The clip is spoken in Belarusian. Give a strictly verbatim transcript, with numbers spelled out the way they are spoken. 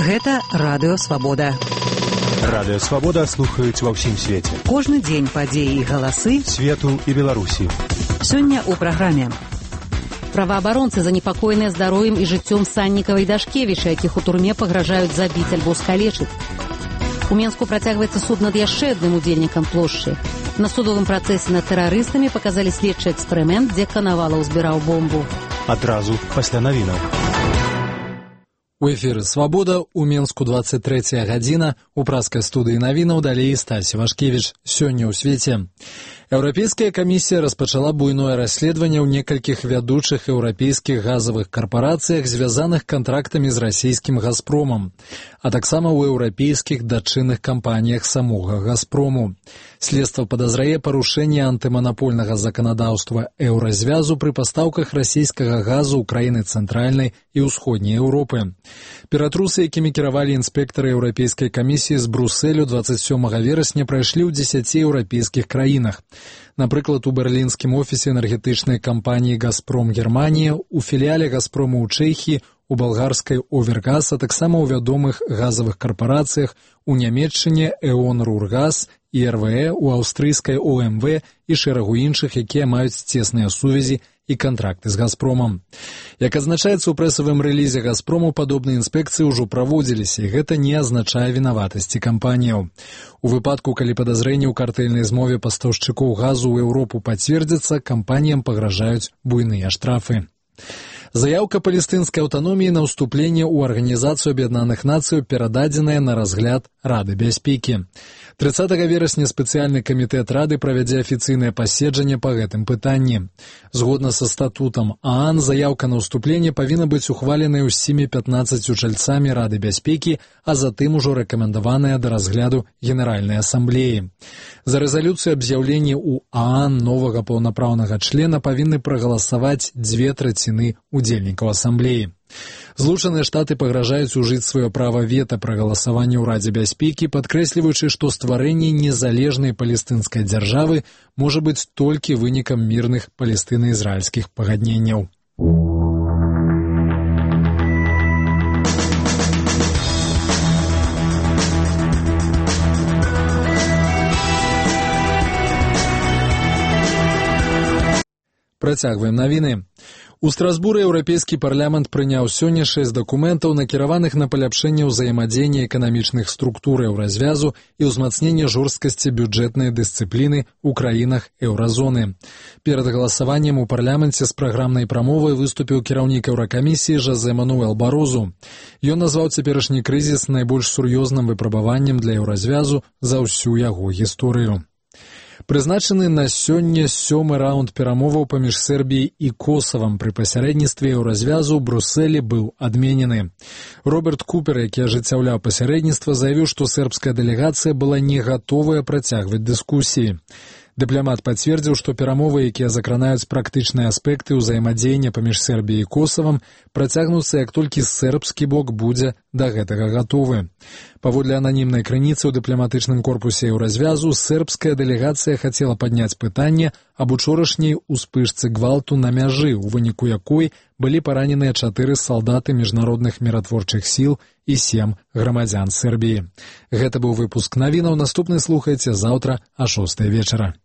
Гэта Радыё Свабода. Радыё Свабода слухаюць ва ўсім свеце. Кожны дзень падзеі і галасы свету і Беларусі. Сёння ў праграме. Праваабаронцы занепакоеныя здароўем і жыццём Саннікава і Дашкевіча, якіх у турме пагражаюць забіць альбо скалечыць. У Менску працягваецца суд над яшчэ адным удзельнікам плошчы. На судовым працэсе над тэрарыстамі паказалі следчы эксперымент, дзе Канавалаў збіраў бомбу. Адразу пасля навінаў. У эфіры «Свабода», у Менску двадцать третья гадзіна, у праскай студыі навінаў далей Стась Вашкевіч. Сёння ў свеце. Еўрапейская камісія распачала буйное расследаванне ў некалькіх вядучых еўрапейскіх газавых карпарацыях, звязаных кантрактамі з расійскім «Газпромам», а таксама ў еўрапейскіх дачынных кампаніях самога «Газпрому». Следства падазрае парушэнне антыманапольнага заканадаўства еўразвязу пры пастаўках расійскага газу ў краіны цэнтральнай і ўсходняй Еўропы. Ператрусы, якімі кіравалі інспектары Еўрапейскай камісіі з Брусэлю двадцать сёмага верасня, прайшлі ў дзесяці еўрапейскіх краінах. Напрыклад, у берлінскім офісе энергетычнай кампаніі «Газпром Германія», у філіяле «Газпрому» ў Чэхіі, у балгарскай «Овергаз», а таксама ў вядомых газавых карпарацыях у Нямецчыне «Эон Рургаз» і эр вэ е, у аўстрыйскай о эм вэ і шэрагу іншых, якія маюць цесныя сувязі і кантракты з «Газпромам». Як адзначаецца ў прэсавым рэлізе «Газпрому», падобныя інспекцыі ўжо праводзіліся, і гэта не азначае вінаватасці кампаніяў. У выпадку, калі падазрэнні ў картэльнай змове пастаўшчыкоў газу ў Еўропу пацвердзяцца, кампаніям пагражаюць буйныя штрафы. Заяўка палестынскай аўтаноміі на ўступленне ў Арганізацыю Аб'яднаных Нацыяў перададзеная на разгляд Рады бяспекі. трыццатага верасня спецыяльны камітэт Рады правядзе афіцыйнае паседжанне па гэтым пытанні. Згодна са статутам ААН, заяўка на ўступленне павінна быць ухваленай усімі пятнаццаццю чальцамі Рады бяспекі, а затым ужо рэкамендаваная да разгляду Генеральнай асамблеі. За рэзалюцыю аб з'яўленні ў ААН новага паўнапраўнага члена павінны прагаласаваць дзве траціны удзельнікаў асамблеі. Злучаныя Штаты пагражаюць ужыць сваё права вета пры галасаванні ў Радзе бяспекі, падкрэсліваючы, што стварэнне незалежнай палестынскай дзяржавы можа быць толькі вынікам мірных палестына-ізраільскіх пагадненняў. Працягваем навіны. У Страсбуры Еўрапейскі парламент прыняў сёння шэсць дакументаў, накіраваных на паляпшэнне ўзаемадзеяння эканамічных структур еўразвязу і ўзмацненне жорсткасці бюджэтнай дысцыпліны ў краінах еўразоны. Перад галасаваннем у парламенце з праграмнай прамовай выступіў кіраўнік Еўракамісіі Жозе Мануэл Барозу. Ён назваў цяперашні крызіс найбольш сур'ёзным выпрабаваннем для еўразвязу за ўсю яго гісторыю. Прызначаны на сёння сёмы раунд перамоваў паміж Сербіяй і Косавам пры пасярэдніцтве еўразвязу ў Брусэлі быў адменены. Роберт Купер, які ажыццяўляў пасярэдніцтва, заявіў, што сербская дэлегацыя была не гатовая працягваць дыскусіі. Дыпламат пацвердзіў, што перамовы, якія закранаюць практычныя аспекты ўзаемадзеяння паміж Сербіяй і Косавам, працягнуцца, як толькі сербскі бок будзе да гэтага гатовы. Паводле ананімнай крыніцы ў дыпламатычным корпусе еўразвязу, сербская дэлегацыя хацела падняць пытанне аб учорашняй успышцы гвалту на мяжы, у выніку якой былі параненыя чатыры салдаты міжнародных міратворчых сіл і сем грамадзян Сербіі. Гэта быў выпуск навінаў. Наступны слухайце заўтра а шостай вечара.